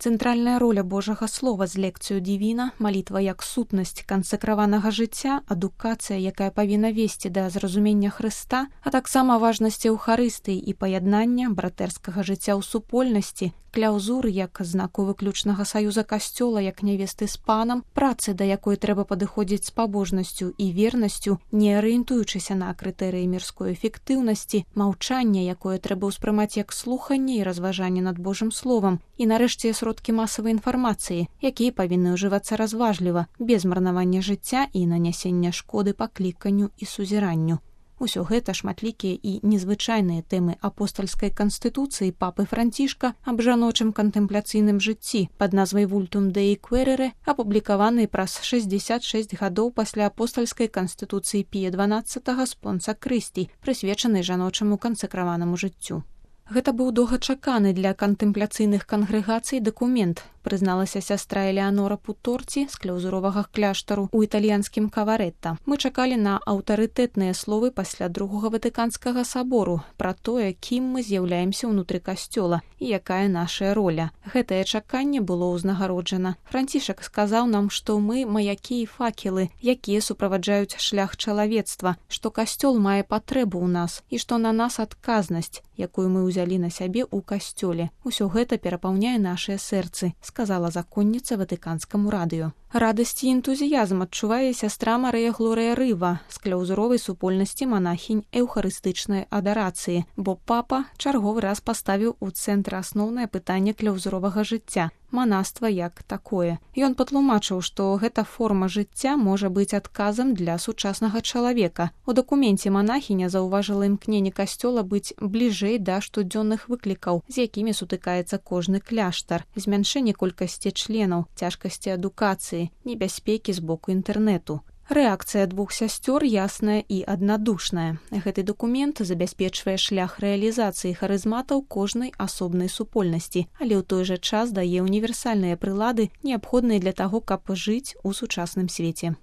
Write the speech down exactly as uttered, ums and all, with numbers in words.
Цэнтральная роля Божага Слова з лекцыю Дівіна, малітва як сутнасць кансакраванага жыцця, адукацыя, якая павінна весці да зразумення Хрыста, а таксама важнасць эўхарыстыі і паяднання братэрскага жыцця ў супольнасці, кляўзуры як знаку выключнага саюза касцёла як нявесты з панам, працы, да якой трэба падыходзіць з пабожнасцю і вернасцю, не арыентуючыся на крытэрыі мірской эфектыўнасці, маўчанне, якое трэба ўспрымаць як слуханне і разважанне над Божым словам, і нарэшце сродкі масавай інфармацыі, якія павінны ўжывацца разважліва, без марнавання жыцця і нанясення шкоды пакліканню і сузіранню. Усё гэта шматлікія і незвычайныя тэмы апостальскай канстытуцыі папы Францішка аб жаночым кантэмпляцыйным жыцці пад назвай «Vultum Dei Quaerere», апублікаванай праз шэсцьдзесят шэсць гадоў пасля апостальскай канстытуцыі Пія дванаццатага Спонса Крысці, прысвечанай жаночаму кансакраванаму жыццю. Гэта быў доўгачаканы для кантэмпляцыйных кангрэгацый дакумент, прызналася сястра Элеанора Путорці з кляўзуровага кляштару ў італьянскім Каварэтта. Мы чакалі на аўтарытэтныя словы пасля другога Ватыканскага сабору пра тое, кім мы з'яўляемся ўнутры касцёла і якая нашая роля. Гэтае чаканне было ўзнагароджана. Францішак сказаў нам, што мы маякі і факелы, якія суправаджаюць шлях чалавецтва, што касцёл мае патрэбу ў нас і што на нас адказнасць, якую мы ўзялі на сябе ў касцёле. Усё гэта перапаўняе нашыя сэрцы, сказала законніца Ватыканскаму радыё. Радасць і энтузіязм адчувае сястра Марыя Глорыя Рыва з кляўзуровай супольнасці манахінь эўхарыстычнай адарацыі, бо папа чарговы раз паставіў у цэнтр асноўнае пытанне кляўзуровага жыцця – манаства як такое. Ён патлумачыў, што гэта форма жыцця можа быць адказам для сучаснага чалавека. У дакуменце манахіня заўважыла імкненне касцёла быць бліжэй да штодзённых выклікаў, з якімі сутыкаецца кожны кляштар, змяншэнне колькасці членаў, цяжкасці адукацыі, небяспекі з боку інтэрнэту. Рэакцыя двух сясцёр ясная і аднадушная. Гэты дакумент забяспечвае шлях рэалізацыі харызматаў кожнай асобнай супольнасці, але ў той жа час дае універсальныя прылады, неабходныя для таго, каб жыць у сучасным свеце.